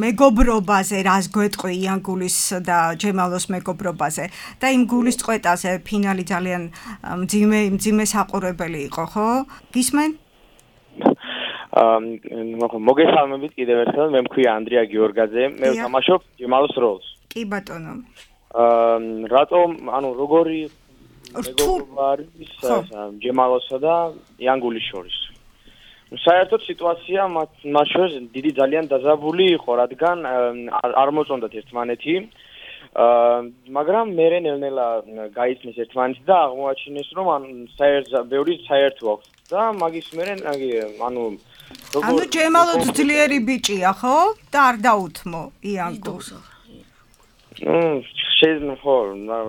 მეგობრობაზე, რას გვეტყვი იანგულის და ჯემალოს მეგობრობაზე და იმ გულის წყვეტაზე ფინალი ძალიან მძიმე მძიმე საყურებელი იყო, ხო? გისმენ? აა მოგესალმებით კიდევ ერთხელ, მე მქვია ანდრია გიორგაძე, მე ვთამაშობ ჯემალოს როლს. კი ბატონო. აა რატომ, ანუ როგორი მეგობრობა არის ჯემალოსა და იანგულის შორის? საერთოდ სიტუაცია მათ შორის დიდი ძალიან დაზაბული იყო, რადგან არ მოწონდათ ერთმანეთი. აა მაგრამ მერე ნელ-ნელა გაიცნეს ერთმანეთი და აღმოაჩინეს, რომ ან საერთოდ ბევრი საერთო აქვს და მაგის მერე ანუ ანუ ჯემალო ძლიერი ბიჭია, ხო? და არ დაუთმო იანგულს. ნუ შეიძლება ხო,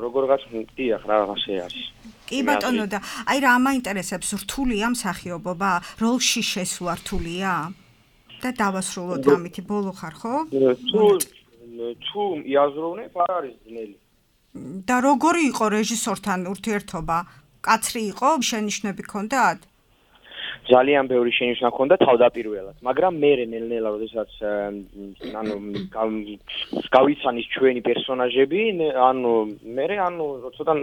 როგორღაც დიახ, რაღაცე არის. კი ბატონო და აი რა მაინტერესებს, რთულია მსახიობობა, როლში შესვლა რთულია? და დავასრულოთ ამითი, ბოლო ხარ, ხო? თუ თუ იაზროვნებ, არ არის ძნელი. და როგორი იყო რეჟისორთან ურთიერთობა? კაცრი იყო, შენიშვნები ჰქონდათ? ძალიან ბევრი შენიშვნა ჰქონდა თავდაპირველად, მაგრამ მერე ნელ-ნელა, როდესაც ანუ გავიცანის ჩვენი პერსონაჟები, ანუ მერე ანუ ცოტა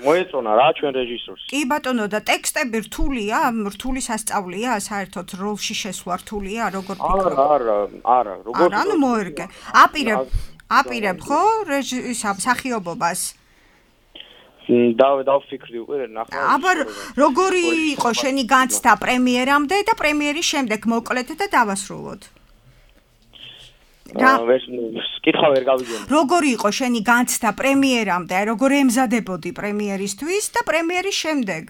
მოეწონა რა ჩვენ რეჟისორს. კი ბატონო და ტექსტები რთულია, რთული სასწავლია, საერთოდ როლში შესვლა რთულია, როგორ ფიქრობ? არა, არა, არა, როგორ არა, ანუ მოერგე. აპირებ, აპირებ ხო რეჟისორ მსახიობობას? და დავფიქრდი უკვე ნახავ. აბა როგორი იყო შენი განცდა პრემიერამდე და პრემიერის შემდეგ მოკლედ და დავასრულოთ. რა კითხვა ვერ გავიგე. როგორი იყო შენი განცდა პრემიერამდე, როგორ ემზადებოდი პრემიერისთვის და პრემიერის შემდეგ?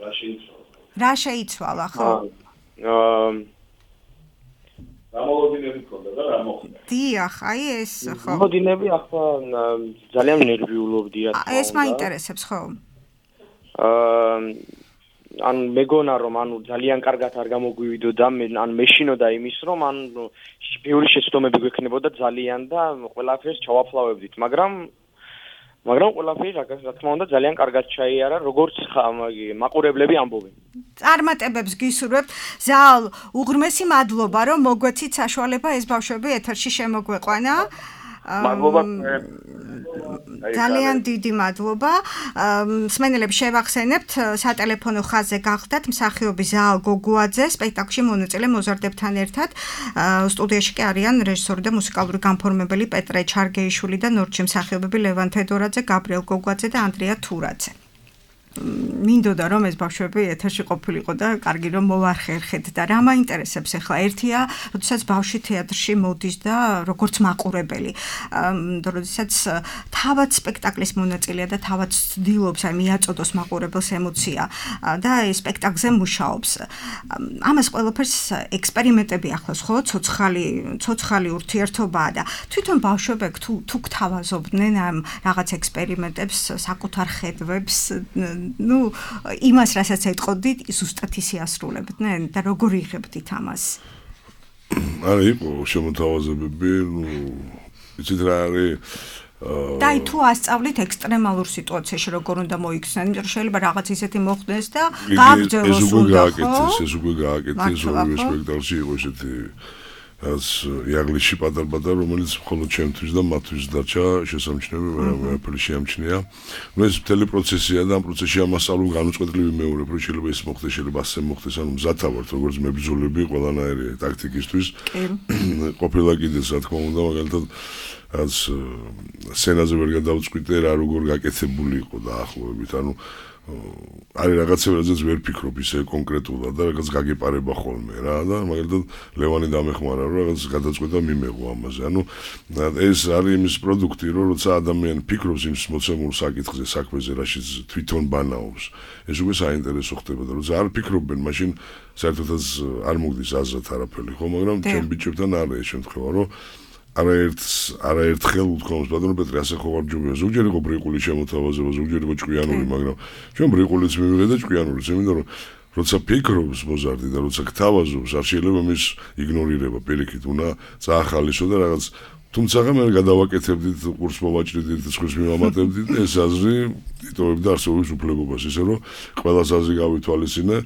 რა შეიცვალა? რა შეიცვალა, ხო? აა გამოლოდინები ქონდა და რა მოხდა? დიახ, აი ეს ხო. გამოლოდინები ახლა ძალიან ნერვიულობდი რა თქმა უნდა. ეს მაინტერესებს ხო? აა ანუ მეგონა რომ ანუ ძალიან კარგად არ გამოგვივიდოდა მე ან მეშინოდა იმის რომ ან ბევრი შეცდომები გვექნებოდა ძალიან და ყველაფერს ჩავაფლავებდით, მაგრამ მაგრამ ყველაფერი რა თქმა უნდა ძალიან კარგად ჩაიარა, როგორც მაყურებლები ამბობენ. წარმატებებს გისურვებთ. ზალ, უღრმესი მადლობა, რომ მოგვეცით საშუალება ეს ბავშვები ეთერში შემოგვეყვანა. მადლობა. ძალიან დიდი მადლობა. მსმენელებს შევახსენებთ, სატელეფონო ხაზზე გახდათ მსახიობი ზაალ გოგუაძე, სპექტაკლში მონაწილე მოზარდებთან ერთად. სტუდიაში კი არიან რეჟისორი და მუსიკალური განფორმებელი პეტრე ჩარგეიშვილი და ნორჩი მსახიობები ლევან თედორაძე, გაბრიელ გოგუაძე და ანდრია თურაძე. მინდოდა რომ ეს ბავშვები ეთერში ყოფილიყო და კარგი რომ მოვარხერხეთ და რა მაინტერესებს ახლა ერთია, როდესაც ბავშვი თეატრში მოდის და როგორც მაყურებელი, როდესაც თავად სპექტაკლის მონაწილეა და თავად ცდილობს აი მიაწოდოს მაყურებელს ემოცია და ეს სპექტაკლზე მუშაობს. ამას ყველაფერს ექსპერიმენტები ახლავს, ხო? ცოცხალი, ცოცხალი ურთიერთობაა და თვითონ ბავშვები თუ თუ გთავაზობდნენ ამ რაღაც ექსპერიმენტებს, საკუთარ ხედვებს ну, იმას, რასაც ეტყოდით, ზუსტად ისე ასრულებდნენ და როგორ იღებდით ამას? არა, იყო შემოთავაზებები, ну, იცით რა არის და აი თუ ასწავლით ექსტრემალურ სიტუაციაში როგორ უნდა მოიქცნენ, იმიტომ რომ შეიძლება რაღაც ისეთი მოხდეს და გააგრძელოს უნდა, ხო? ეს უკვე გააკეთეს, ორივე სპექტაკლში იყო ესეთი რაც იაღლიში პატარ-პატარ, რომელიც მხოლოდ ჩემთვის და მათთვის დარჩა შესამჩნევი, ვერაფერი შეამჩნია. ნუ ეს მთელი პროცესია და ამ პროცესში ამასწავლო განუწყვეტლივი მეორებ, რომ შეიძლება ის მოხდეს, შეიძლება ასე მოხდეს, ანუ მზათა ვართ, როგორც მებრძოლები ყველანაირი ტაქტიკისთვის. ყოფილა კიდეც, რა თქმა უნდა, მაგალითად რაც სცენაზე ვერ გადავწყვიტე, რა როგორ გაკეთებული იყო დაახლოებით, ანუ არის რაღაცები, რაზეც ვერ ფიქრობ ისე კონკრეტულად და რაღაც გაგეპარება ხოლმე რა და მაგალითად ლევანი დამეხმარა რომ რაღაც გადაწყვეტა მიმეღო ამაზე. ანუ ეს არის იმის პროდუქტი, რომ როცა ადამიანი ფიქრობს იმ მოცემულ საკითხზე, საქმეზე, რაშიც თვითონ ბანაობს, ეს უკვე საინტერესო ხდება და როცა არ ფიქრობენ, მაშინ საერთოდაც არ მოგდის აზრად არაფერი, ხო, მაგრამ ჩემ ბიჭებთან არის ეს შემთხვევა, რომ არაერთ არაერთხელ უთქვამს ბატონო პეტრე ასე ხო არ ჯობია ზოგჯერ იყო ბრიყული შემოთავაზება ზოგჯერ იყო ჭკვიანური მაგრამ ჩვენ ბრიყულიც მივიღე და ჭკვიანურიც იმიტომ რომ როცა ფიქრობს მოზარდი და როცა გთავაზობს არ შეიძლება მის იგნორირება პირიქით უნდა წაახალისო და რაღაც თუმცა მე გადავაკეთებდით კურს მოვაჭრიდით სხვის მივამატებდით ეს აზრი იტოვებდა არსებობის უფლებობას ისე რომ ყველას აზრი გავითვალისწინე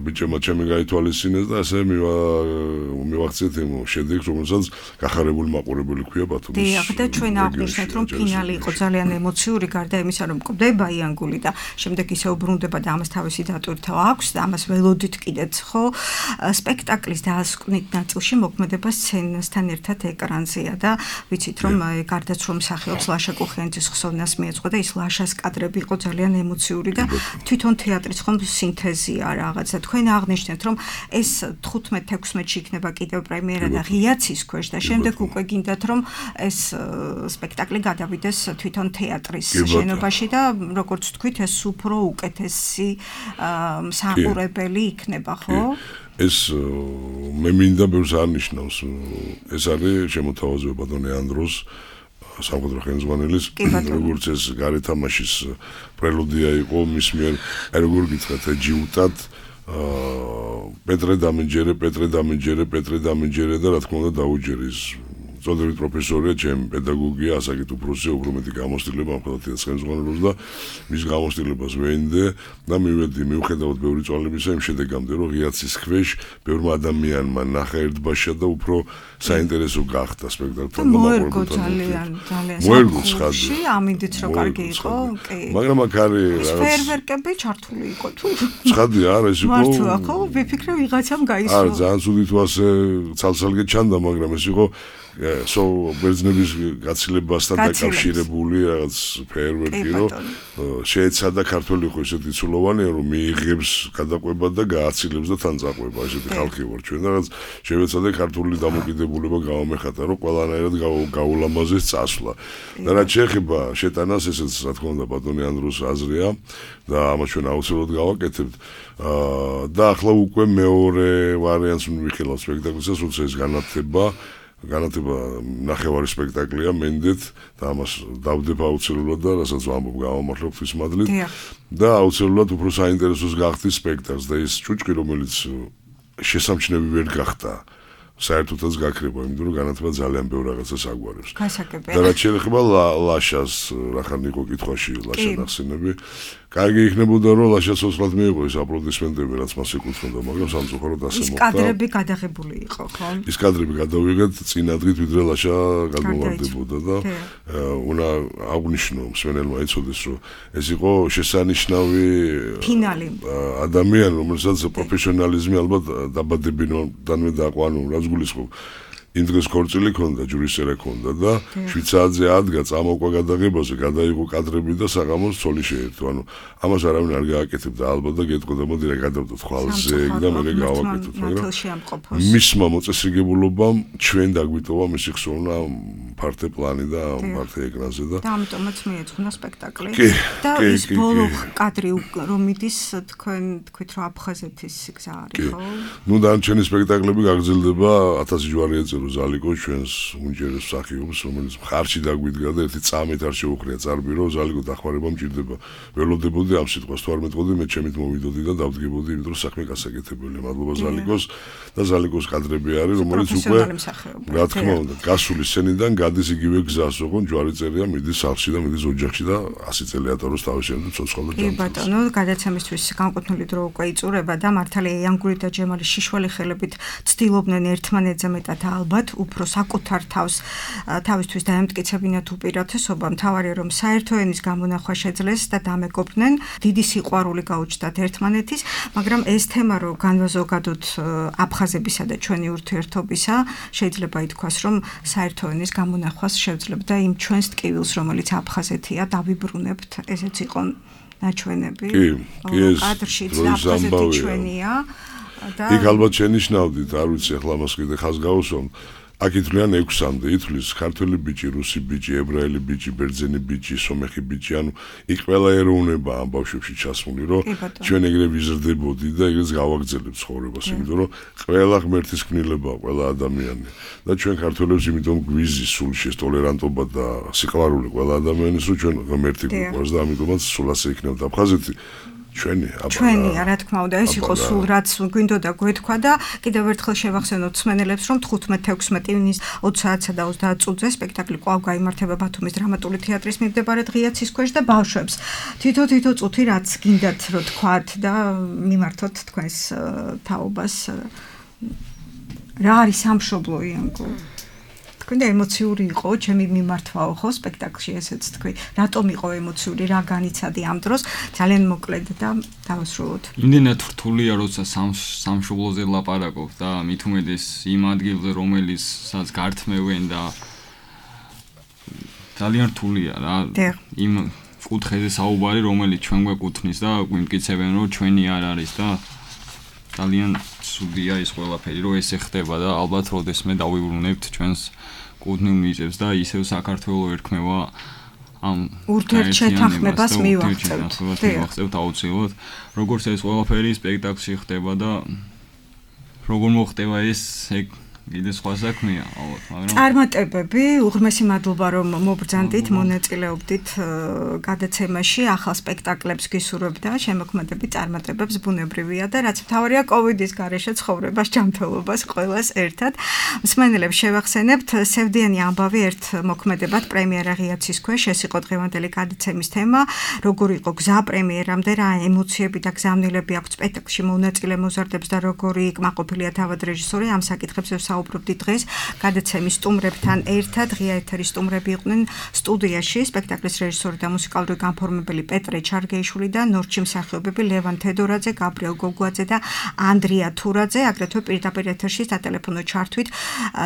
ბიჭებმა ჩემი გაითვალისწინეს და ასე მივახცეთ იმ შედეგს რომელსაც გახარებული მაყურებელი ქვია ბათუმის დიახ და ჩვენ აღნიშნეთ რომ ფინალი იყო ძალიან ემოციური გარდა იმისა რომ მკვდება იანგული და შემდეგ ისე უბრუნდება და ამას თავისი დატვირთვა აქვს და ამას ველოდით კიდეც ხო სპექტაკლის დასკვნით ნაწილში მოქმედება სცენასთან ერთად ეკრანზე და ვიცით რომ გარდაც რომ მსახიობს ლაშა კუხიანძის ხსოვნას მიეწყო და ის ლაშას კადრები იყო ძალიან ემოციური და თვითონ თეატრის ხომ სინთეზია რაღაცა თქვენ აღნიშნეთ რომ ეს თხუთმეტ ექვსმეტში იქნება კიდევ პრემიერა და ღიაცის ქვეშ და შემდეგ უკვე გინდათ რომ ეს სპექტაკლი გადავიდეს თვითონ თეატრის შენობაში და როგორც თქვით ეს უფრო უკეთესი მსახურებელი იქნება ხო ეს მე მინდა ბევრს არნიშნავს ეს არის შემოთავაზება ბატონი ანდროს სამყარო ხელმძღვანელის როგორც ეს გარეთამაშის პრელუდია იყო მის მიერ აი როგორ გითხრათ ჯიუტად პეტრე დამინჯერე პეტრე დამინჯერე პეტრე დამინჯერე და რა თქმა უნდა დაუჯერე ის წოდებით პროფესორია ჩემი პედაგოგია ასაკით უფროსია უფრო მეტი გამოცდილება ამ ხელათაც ხელმძღვანელობს და მის გამოცდილებას ვენდე და მივედი მიუხედავად ბევრი წვალებისა იმ შედეგამდე რომ ღიაცის ქვეშ ბევრმა ადამიანმა ნახა ერთბაშა და უფრო საინტერესო გახდა სპექტაკლთან და მოერგო ძალიან ძალიან მოერგო ხაზი ამინდით რომ კარგი იყო კი მაგრამ აქ არის რაღაც ფერვერკები ჩართული იყო თუ ცხადია არა ეს იყო მართლა ხო ვიფიქრე ვიღაცამ გაისვა არა ძალიან ცუდი თუ ასე ცალ-ცალკე ჩანდა მაგრამ ეს იყო so ბერძნების გაცილებასთან დაკავშირებული რაღაც ფერვერკი რომ შეეცადა ქართველი იყო ესეთი ცულოვანი რომ მიიღებს გადაყვება და გააცილებს და თან წაყვება ესეთი ხალხი ვარ ჩვენ და რაღაც შევეცადე ქართული დამოკიდებულება გავამეხატა რომ ყველანაირად გაულამაზეს წასვლა და რაც შეეხება შეტანას ესეც რა თქმა უნდა ბატონი ანდროს აზრია და ამას ჩვენ აუცილებლად გავაკეთებთ და ახლა უკვე მეორე ვარიანტს მივიხილავ სპექტაკლისას როცა ეს განათება განათება ნახევარი სპექტაკლია მენდეთ და ამას დავდება აუცილებლად და რასაც ვამბობ გავამართლებ თვის მადლით და აუცილებლად უფრო საინტერესოს გახდის სპექტაკლს და ის ჭუჭკი რომელიც შესამჩნევი ვერ გახდა საერთოდაც გაქრება, იმიტომ რომ განათლება ძალიან ბევრ რაღაცას აგვარებს. გასაგებია. და რაც შეეხება ლაშას, რახან იყო კითხვაში ლაშა ნახსენები, კარგი იქნებოდა რომ ლაშა ცოცხლად მიიღო ეს აპლოდისმენტები, რაც მას ეკუთვნოდა, მაგრამ სამწუხაროდ ასე ის მოხდა. კადრები გადაღებული იყო, ხო? ის კადრები გადავიღეთ წინა დღით, ვიდრე ლაშა გადმოვარდებოდა და უნდა აღნიშნო მსმენელმა ეცოდეს, რომ ეს იყო შესანიშნავი ფინალი. ადამიანი, რომელსაც პროფესიონალიზმი ალბათ დაბადებიდანვე დაყვა, ანუ რაც გულისხმობ. იმ დღეს ქორწილი ქონდა, ჯურისწერა ქონდა და შვიდ საათზე ადგა წამოყვა გადაღებაზე, გადაიღო კადრები და საღამოს ცოლი შეერთო. ანუ ამას არავინ არ გააკეთებდა ალბათ და გეტყოდა, მოდი რა გადავდოთ ხვალზე და მე გავაკეთოთ, მაგრამ მისმა მოწესრიგებულობამ ჩვენ დაგვიტოვა მისი ხსოვნა ფართე პლანი და ფართე ეკრანზე და და ამიტომაც მიეძღვნა სპექტაკლი. და ის ბოლო კადრი რომ მიდის თქვენ თქვით რომ აფხაზეთის გზა არის, ხო? ნუ დანარჩენი სპექტაკლები გაგრძელდება ათასი ჯვარი ეწევა ზალიკო ჩვენს უნჯერეს მსახიობს, რომელიც მხარში დაგვიდგა და ერთი წამით არ შეუხრია წარბირო, ზალიკო დახმარება მჭირდება. ველოდებოდი ამ სიტყვას, თუ არ მეტყოდი, მე ჩემით მოვიდოდი და დავდგებოდი, იმიტომ რომ საქმე გასაკეთებელი. მადლობა ზალიკოს და ზალიკოს კადრები არის, რომელიც უკვე რა თქმა უნდა, გასული სცენიდან გადის იგივე გზას, ოღონდ ჯვარი წერია, მიდის სახლში და მიდის ოჯახში და ასი წელი ატაროს თავის შემდეგ ცოცხალ და ჯანმრთელს. კი ბატონო, გადაცემისთვის განკუთვნილი დრო უკვე იწურება და მართალია იანგური და ჯემალი შიშველი ხელებით ცდილობდნენ ერთმანეთზე მეტად ალბათ უფრო საკუთარ თავს თავისთვის დაემტკიცებინათ უპირატესობა, მთავარია რომ საერთო ენის გამონახვა შეძლეს და დამეგობრდნენ, დიდი სიყვარული გაუჩნდათ ერთმანეთის, მაგრამ ეს თემა რომ განვაზოგადოთ აფხაზებისა და ჩვენი ურთიერთობისა, შეიძლება ითქვას რომ საერთო ენის გამონახვას შევძლებდა იმ ჩვენს ტკივილს, რომელიც აფხაზეთია, დავიბრუნებთ, ესეც იყო ნაჩვენები. კი, კი ეს კადრშიც აფხაზეთი ჩვენია. იქ ალბათ შენიშნავდით, არ ვიცი ახლა მას კიდე ხაზ გავუსვამ. აქ ითვლიან ექვსამდე, ითვლის ქართველი ბიჭი, რუსი ბიჭი, ებრაელი ბიჭი, ბერძენი ბიჭი, სომეხი ბიჭი, ანუ იქ ყველა ეროვნება ამ ბავშვებში ჩასმული, რომ ჩვენ ეგრე ვიზრდებოდი და ეგრეც გავაგრძელებთ ცხოვრებას, იმიტომ რომ ყველა ღმერთის ქმნილებაა, ყველა ადამიანი. და ჩვენ ქართველებს იმიტომ გვიზის სულში ეს ტოლერანტობა და სიყვარული ყველა ადამიანის, რომ ჩვენ ღმერთი გვიყვარს და ამიტომაც სულ ასე იქნებოდა აფხაზეთი. ჩვენი აბა ჩვენია რა თქმა უნდა ეს იყო სულ რაც გვინდოდა გვეთქვა და კიდევ ერთხელ შევახსენოთ მსმენელებს რომ თხუთმეტ ექვსმეტ ივნის ოცი საათსა და ოცდაათ წუთზე სპექტაკლი კვლავ გაიმართება ბათუმის დრამატული თეატრის მიმდებარე ღიაცის ქვეშ და ბავშვებს თითო თითო წუთი რაც გინდათ რომ თქვათ და მიმართოთ თქვენს თაობას რა არის სამშობლო იანკო თქვენ ემოციური იყო ჩემი მიმართვაო ხო სპექტაკლში ესეც თქვი რატომ იყო ემოციური რა განიცადი ამ დროს ძალიან მოკლედ და დავასრულოთ იმდენად რთულია როცა სამშობლოზე ლაპარაკობ და მით უმეტეს იმ ადგილზე რომელიცაც გართმევენ და ძალიან რთულია რა იმ კუთხეზე საუბარი რომელიც ჩვენ გვეკუთვნის და გვიმტკიცებენ რომ ჩვენი არ არის და ძალიან ცუდია ეს ყველაფერი რომ ესე ხდება და ალბათ როდესმე დავიბრუნებთ ჩვენს კუთვნილ მიწებს და ისევ საქართველოს ერქმევა ამ ურთიერთშეთანხმებას მივახცევთ. მივახცევთ აუცილებლად. როგორც ეს ყველაფერი სპექტაკლში ხდება და როგორ მოხდება ეს ეგ კიდე სხვა საქმეა, ალბათ, მაგრამ წარმატებები, უღრმესი მადლობა რომ მობრძანდით, მონაწილეობდით გადაცემაში, ახალ სპექტაკლებს გისურვებთ და შემოქმედებით წარმატებებს ბუნებრივია და რაც მთავარია კოვიდის გარეშე ცხოვრებას, ჯანმრთელობას ყველას ერთად. მსმენელებს შევახსენებთ, სევდიანი ამბავი ერთ მოქმედებად პრემიერა ღიაცის ქვეშ, ეს იყო დღევანდელი გადაცემის თემა, როგორ იყო გზა პრემიერამდე, რა ემოციები და გზავნილები აქვს სპექტაკლში მონაწილე მოზარდებს და როგორი კმაყოფილია თავად რეჟისორი ამ საკითხებზე საუბრობდი დღეს გადაცემის სტუმრებთან ერთად ღია ეთერის სტუმრები იყვნენ სტუდიაში სპექტაკლის რეჟისორი და მუსიკალური განფორმებელი პეტრე ჩარგეიშვილი და ნორჩი მსახიობები ლევან თედორაძე, გაბრიელ გოგუაძე და ანდრია თურაძე აგრეთვე პირდაპირ ეთერში სატელეფონო ჩართვით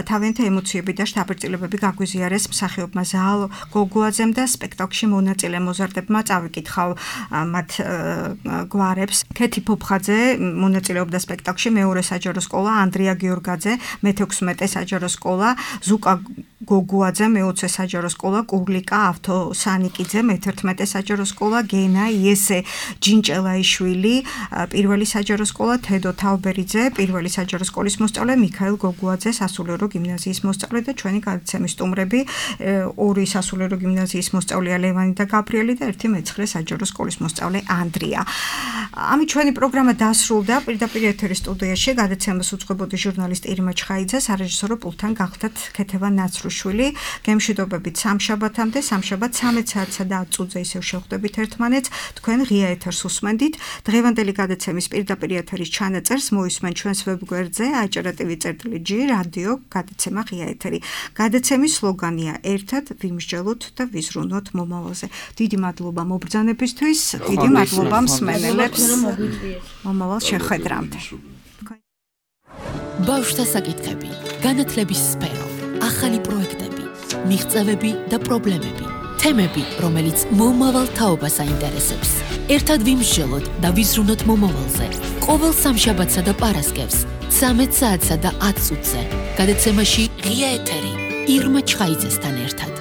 თავიანთი ემოციები და შთაბეჭდილებები გაგვიზიარეს მსახიობმა ზაალ გოგუაძემ და სპექტაკლში მონაწილე მოზარდებმა წავიკითხავ მათ გვარებს ქეთი ფოფხაძე მონაწილეობდა სპექტაკლში მეორე საჯარო სკოლა ანდრია გიორგაძე მეთექვსმეტე საჯარო სკოლა ზუკა გოგუაძე მეოცე საჯარო სკოლა კურლიკა ავთო სანიკიძე მეთერთმეტე საჯარო სკოლა გენა იესე ჯინჭელაიშვილი პირველი საჯარო სკოლა თედო თავბერიძე პირველი საჯარო სკოლის მოსწავლე მიქაელ გოგუაძე სასულიერო გიმნაზიის მოსწავლე და ჩვენი გადაცემის სტუმრები ორი სასულიერო გიმნაზიის მოსწავლეა ლევანი და გაბრიელი და ერთი მეცხრე საჯარო სკოლის მოსწავლე ანდრია ამით ჩვენი პროგრამა დასრულდა პირდაპირ ეთერის სტუდიაში გადაცემას უძღვებოდი ჟურნალისტი ირმა ჩხაი ჩხაიძე, სარეჟისორო პულტთან გახდათ ქეთევან ნაცრუშვილი. გემშვიდობებით სამშაბათამდე, სამშაბათ ცამეტ საათსა და ათ წუთზე ისევ შევხვდებით ერთმანეთს. თქვენ ღია ეთერს უსმენდით. დღევანდელი გადაცემის პირდაპირ ეთერის ჩანაწერს მოისმენ ჩვენს ვებგვერდზე აჭარა.tv წერტილი ჯი რადიო გადაცემა ღია ეთერი. გადაცემის სლოგანია ერთად ვიმსჯელოთ და ვიზრუნოთ მომავალზე. დიდი მადლობა მობრძანებისთვის, დიდი მადლობა მსმენელებს. მომავალ შეხვედრამდე. ბავშვთა საკითხები, განათლების სფერო, ახალი პროექტები, მიღწევები და პრობლემები, თემები, რომელიც მომავალ თაობას აინტერესებს. ერთად ვიმსჯელოთ და ვიზრუნოთ მომავალზე. ყოველ სამშაბათსა და პარასკევს, ცამეტ საათსა და ათ წუთზე. გადაცემაში ღია ეთერი ირმა ჩხაიძესთან ერთად.